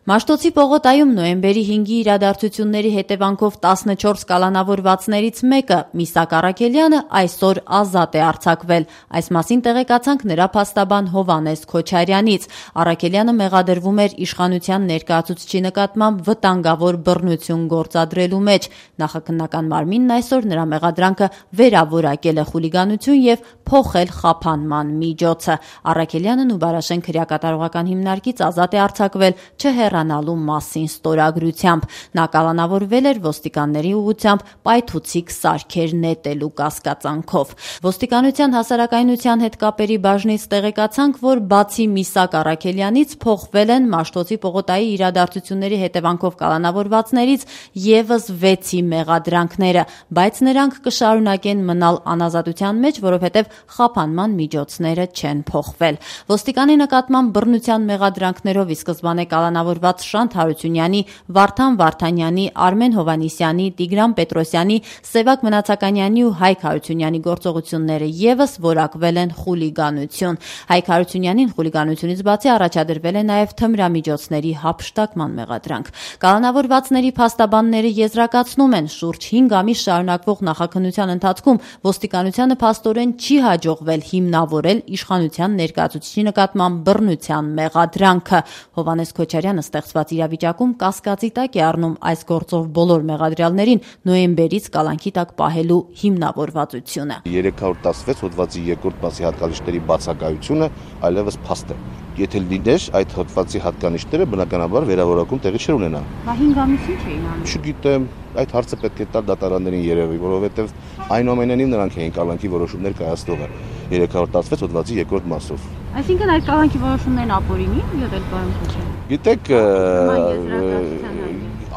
Մաշտոցի պողոտայում նոյեմբերի 5-ի իրադարձությունների հետևանքով 14 կալանավորվածներից մեկը՝ Միսակ Առաքելյանը, այսօր ազատ է արձակվել։ Այս մասին տեղեկացանք նրա փաստաբան Հովհաննես Քոչարյանից։ Առաքելյանը մեղադրվում էր իշխանության ներկայացուցչի նկատմամբ վտանգավոր բռնություն գործադրելու մեջ։ Նախաքննական մարմինն այսօր նրա մեղադրանքը վերավորակել է խուլիգանություն եւ փոխել խափանման միջոցը։ Առաքելյանն ու Բարաշենք հրեակատարողական հիմնարկից ազատ է արձակվել չհեռանալու մասին ստորագրությամբ։ Նա կալանավորվել էր ոստիկանների ուղղությամբ պայթուցիկ սարքեր նետելու կասկածանքով։ Ոստիկանության հասարակայնության հետ կապերի բաժնից տեղեկացանք, որ բացի Միսակ Առաքելյանից փոխվել են Մաշտոցի պողոտայի իրադարձությունների հետևանքով կալանավորվածներից եւս 6-ի մեղադրանքները, բայց նրանք կշարունակեն մնալ անազատության մեջ, որովհետեւ խափանման միջոցները չեն փոխվել։ Ոստիկանի նկատմամբ բռնության մեղադրանքներով ի սկզբանե կալանավորված Շանթ Հարությունյանի, Վարդան Վարդանյանի, Արմեն Հովհաննիսյանի, Տիգրան Պետրոսյանի, Սևակ Մնացականյանի ու Հայկ Հարությունյանի գործողությունները եւս որակվել են խուլիգանություն։ Հայկ Հարությունյանին խուլիգանությունից բացի առաջադրվել է նաեւ թմրամիջոցների հափշտակման մեղադրանք։ Կալանավորվածների փաստաբանները եզրակացնում են, շուրջ 5 ամիս շարունակվող նախաքննության ընթացքում ոստիկանությանը փաստորեն չի հաջողվել հիմնավորել իշխանության ներկայացուցչի նկատմամբ բռնության մեղադրանքը։ Հովհաննես Քոչարյանը ստեղծված իրավիճակում կասկածի տակ է առնում այս գործով բոլոր մեղադրյալներին նոյեմբերից կալանքի տակ պահելու հիմնավորվածությունը։ 316 հոդվածի 2-րդ մասի հատկանիշների բացակայությունը այլևս փաստ է։ Եթե լիներ այդ հոդվածի հատկանիշները, բնականաբար վերավորակում տեղի չէր ունենա։ Բա 5 ամիսին չէին անում։ Չգիտեմ, այդ հարցը պետք է տալ դատարաններին երևի, որովհետև այնուամենայնիվ նրանք էին կալանքի որոշումներ կայացնողը 316 հոդվածի 2-րդ մասով։ Այսինքն այդ կալանքի որոշումներն ապօրինի եղել պարոն Քոչարյան։ Գիտեք,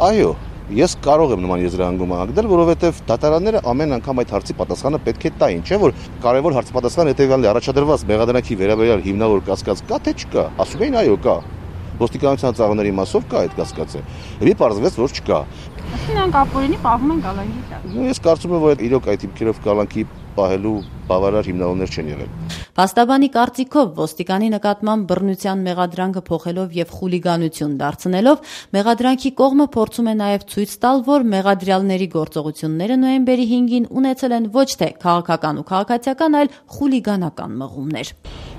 այո, ես կարող եմ նման եզրահանգում անգնել, որովհետև դատարանները ամեն անգամ այդ հարցի պատասխանը պետք է տային, չէ՞ որ կարևոր հարցի պատասխանը հետևյալն է, առաջադրված մեղադրանքի վերաբերյալ հիմնավոր կասկած կա թե չկա։ Ասում էին այո, կա։ Ոստիկանության ծառաների մասով կա այդ կասկածը։ Եվ պարզվեց, որ չկա։ Նրանք ապօրինի պահում են կալանքի տակ։ Ես կարծում եմ, որ իրոք այդ հիմքերով կալանքի պահելու բավարար հիմնավորներ չեն եղել։ Փաստաբանի կարծիքով ոստիկանի նկատմամբ բռնության մեղադրանքը փոխելով եւ խուլիգանություն դարձնելով մեղադրանքի կողմը փորձում է նաեւ ցույց տալ, որ մեղադրյալների գործողությունները նոյեմբերի 5-ին ունեցել են ոչ թե քաղաքական ու քաղաքացիական, այլ խուլիգանական մղումներ։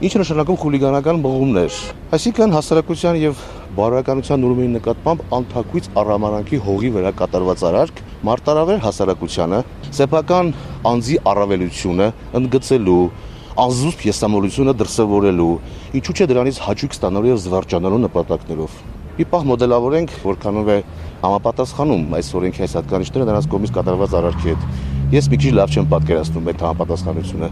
Ինչ նշանակում խուլիգանական մղումներ։ Այսինքն հասարակության եւ բարոյականության նորմերի նկատմամբ անթակույց առհամարանքի հողի վրա կատարված արարք, մարտարավեր հասարակությանը, սեփական անձի առավելությունը ընդգծելու, անզուսպ եսամոլությունը դրսևորելու, ինչու՞ չէ դրանից հաճույք ստանալու եւ զվարճանալու նպատակներով։ Մի պահ մոդելավորենք, որքանով է համապատասխանում այս օրենքի այս հատկանիշները նրանց կողմից կատարված արարքի հետ։ Ես մի քիչ լավ չեմ պատկերացնում այդ համապատասխանությունը։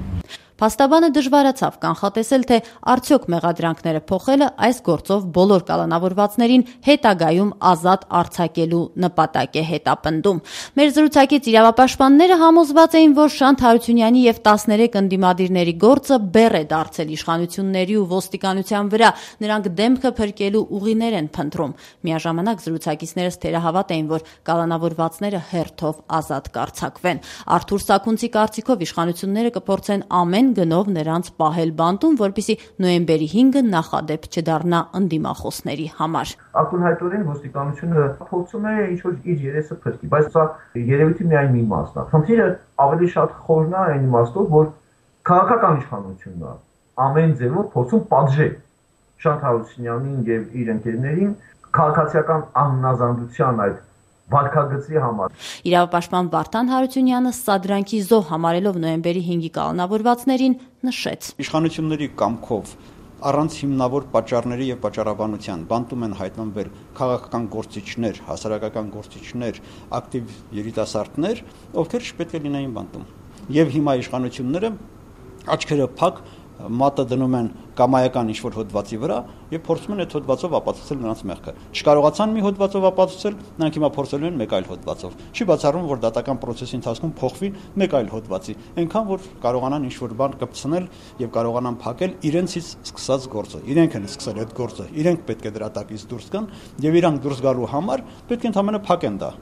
Փաստաբանը դժվարացավ կանխատեսել, թե արդյոք մեղադրանքները փոխելը այս գործով բոլոր կալանավորվածներին հետագայում ազատ արձակելու նպատակ է հետապնդում։ Մեր զրուցակից իրավապաշտպանները համոզված էին, որ Շանթ Հարությունյանի եւ 13 ընդդիմադիրների գործը բեռ է դարձել իշխանությունների ու ոստիկանության վրա, նրանք դեմքը փրկելու ուղիներ են փնտրում։ Միաժամանակ զրուցակիցներս թերահավատ էին, որ կալանավորվածները հերթով ազատ կարձակվեն։ Արթուր Սաքունցի կարծիքով իշխանությունները կփորձեն ամեն գնով նրանց պահել բանտում, որպեսզի նոյեմբերի 5-ը նախադեպ չդառնա ընդդիմախոսների համար։ Ակնհայտորեն ոստիկանությունը փորձում է ինչ-որ իր երեսը փրկի, բայց սա երևույթի միայն մի մասն է։ Խնդիրը ավելի շատ խորն է այն իմաստով, որ քաղաքական իշխանությունն է ամեն ձևով փորձում պատժել Շանթ Հարությունյանին եւ իր ընկերներին քաղաքացիական աննազանդության այդ վարկագծի համար։ Իրավապաշտպան Վարդան Հարությունյանը սադրանքի զոհ համարելով նոյեմբերի 5-ի կալանավորվածներին նշեց. Իշխանությունների կամքով առանց հիմնավոր պատճառների եւ պատճառաբանության բանտում են հայտնվել քաղաքական գործիչներ, հասարակական գործիչներ, ակտիվ երիտասարդներ, ովքեր չպետք է լինեին բանտում։ Եվ հիմա իշխանությունները աչքերը փակ մատը դնում են կամայական ինչ-որ հոդվածի վրա եւ փորձում են այդ հոդվածով ապացուցել նրանց մեղքը։ Չկարողացան մի հոդվածով ապացուցել, նրանք հիմա փորձելու են մեկ այլ հոդվածով։ Չի բացառվում, որ դատական պրոցեսի ընթացքում փոխվի մեկ այլ հոդվածի, այնքան որ կարողանան ինչ-որ բան կպցնել եւ կարողանան փակել իրենցից սկսած գործը։ Իրենք են սկսել այդ գործը, իրենք պետք է դրա տակից դուրս գան եւ իրանք դուրս գալու համար պետք է ընդհանրապես փակեն դա։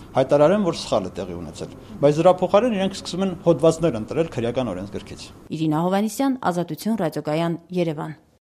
Հայտարարեն, որ սխալ է տեղի ունեցել, բայց դրա փոխարեն իրենք սկսում են հոդվածներ ընտրել քրեական օրենսգրքից։ Իրինա Հովհաննիսյան, Ազատություն ռադիոկայան, Երևան։